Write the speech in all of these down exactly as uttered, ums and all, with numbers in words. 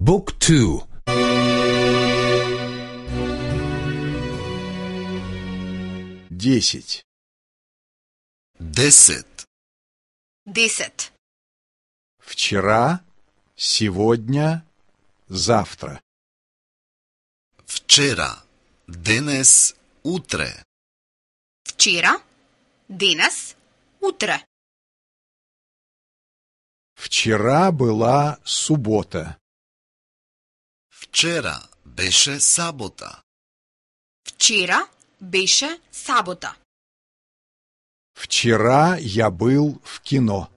Book two. Десять. Десет. Десет. Вчера, сегодня, завтра. Вчера, денес, утре. Вчера, денес, утре. Вчера была суббота. Вчера беше сабота. Вчера беше сабота. Вчера я был в кино.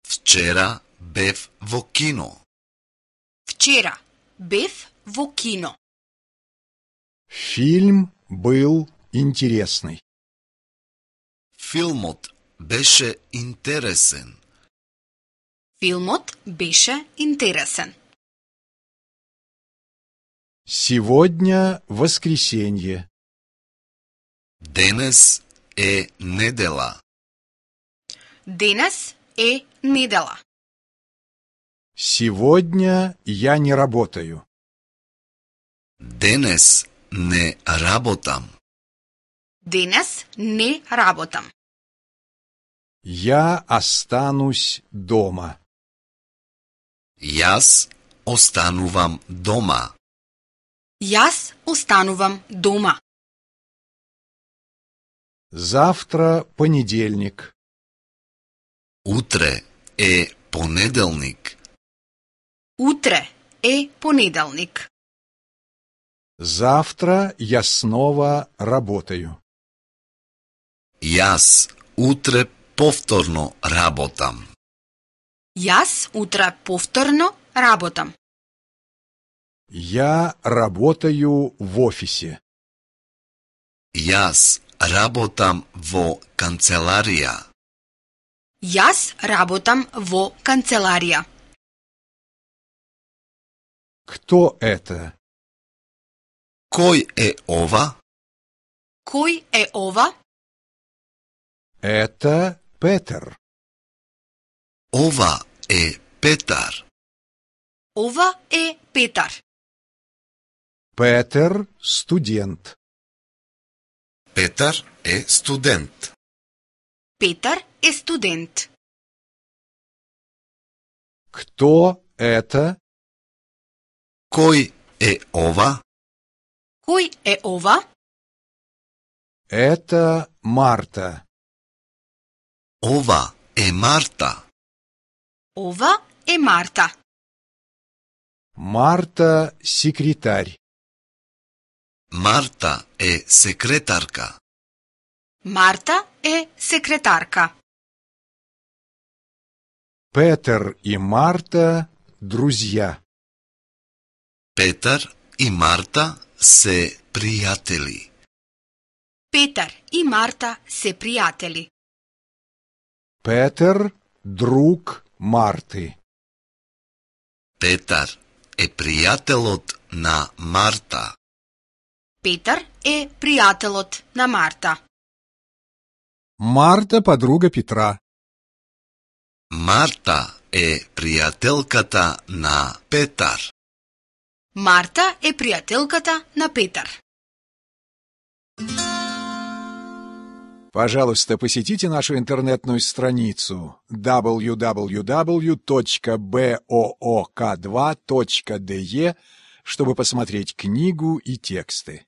Вчера бев во кино. Вчера бев во кино. Фильм был интересный. Филмот беше интересен. Филмот беше интересен. Сегодня воскресенье. Денес е недела. Денес е недела. Сегодня я не работаю. Денес не работам. Денес не работам. Я останусь дома. Јас останувам дома. Јас останувам дома. Завтра понедельник. Утре е понеделник. Утре е понеделник. Завтра я снова работаю. Јас утре повторно работам. Јас утре повторно работам. Я работаю в офисе. Јас работам во канцеларија. Јас работам во канцеларија. Кто это? Кој е ова? Кој е ова? Это Петер. Ова е Петар. Ова е Петар. Петер студент. Петар е студент. Петар е студент. Кто это? Кој е ова? Кој е ова? Это Марта. Ова е Марта. Ова е Марта. Марта секретарь. Марта е секретарка. Марта е секретарка. Петер и Марта друзья. Петар и Марта се пријатели. Петар и Марта се пријатели. Петер друг Марты. Петар е пријателот на Марта. Петар е пријателот на Марта. Марта подруга Петра. Марта е пријателката на Петар. Марта е пријателката на Петар. Пожалуйста, посетите нашу интернетную страницу дабл ю дабл ю дабл ю точка боок два точка де, чтобы посмотреть книгу и тексты.